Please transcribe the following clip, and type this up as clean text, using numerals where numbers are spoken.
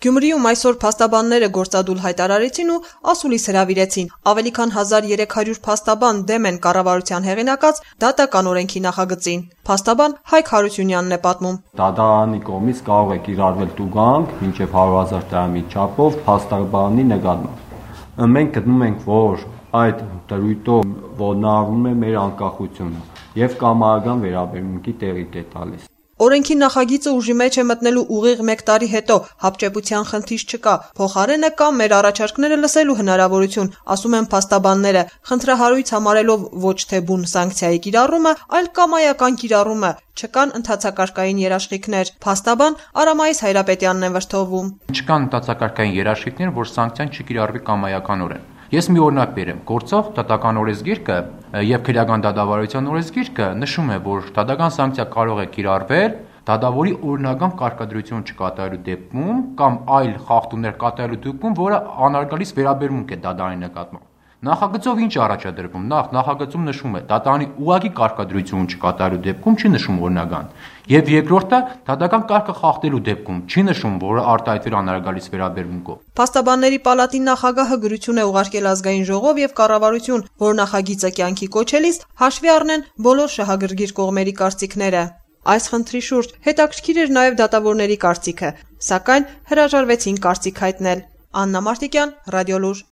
Գյումրիում այսօր փաստաբանները գործադուլ հայտարարեցին ու ասուլիս հրավիրեցին։ Ավելի քան 1300 փաստաբան դեմ են կառավարության հեղինակած դատական օրենքի նախագծին։ Փաստաբան Հայկ Հարությունյանն է պատմում. Դատարանի կողմից կարող է կիրառվել տուգանք մինչև 100,000 դրամի չափով փաստաբանի նկատմամբ։ Մենք գտնում ենք, որ այդ դրույթով ոտնահարվում է մեր անկախությունը եւ կամարական վերաբերմունքի տեղիք է տալիս։ Օրենքի նախագիծը ուժի մեջ է մտնելու ուղիղ 1 տարի հետո հապճեպության խնդիր չկա, փոխարենը կա մեր առաջարկները լսելու հնարավորություն, ասում են փաստաբանները, խնդրահարույց համարելով ոչ թե բուն սանկցիայի կիրառումը, այլ կամայական կիրառումը, չկան ընդհանցակարգային երաշխիքներ։ Փաստաբան Արամայիս Հայրապետյանն է վրթովում. Չկան ընդհանցակարգային երաշխիքներ, որ սանկցիան չկիրառվի կամայականորեն։ Ես մի օրինակ բերեմ. գործող դատական օրենսգիրքը եւ քրեական դատավարության օրենսգիրքը նշում է, որ դատական սանկցիա կարող է կիրառվել դատավորի օրինական կարգադրություն չկատարելու դեպքում կամ այլ խախտումներ կատարելու դեպքում, որը անարգալից վերաբերմունք է դատարանի նկատմամբ։ Նախագծով ինչ առաջադրվում։ Նախագծում նշում է դատարանի ուղղակի կարգադրություն չկատարելու դեպքում չի նշում օրինական։ Եվ երկրորդը դատական կարգը խախտելու դեպքում չի նշում, որը արտահայտվել անարգալից վերաբերմունքով։ Փաստաբանների պալատի նախագահը գրություն է ուղարկել ազգային ժողով եւ կառավարություն, որ նախագիծը կյանքի կոչելիս հաշվի առնեն բոլոր շահագրգիռ կողմերի կարծիքները։ Այս խնդրի շուրջ հետաքրքիր էր նաեւ դատավորների կարծիքը, սակայն հրաժարվեցին կարծիք հայտնել։ Աննա Մարտիկյան, Ռադիոլուր։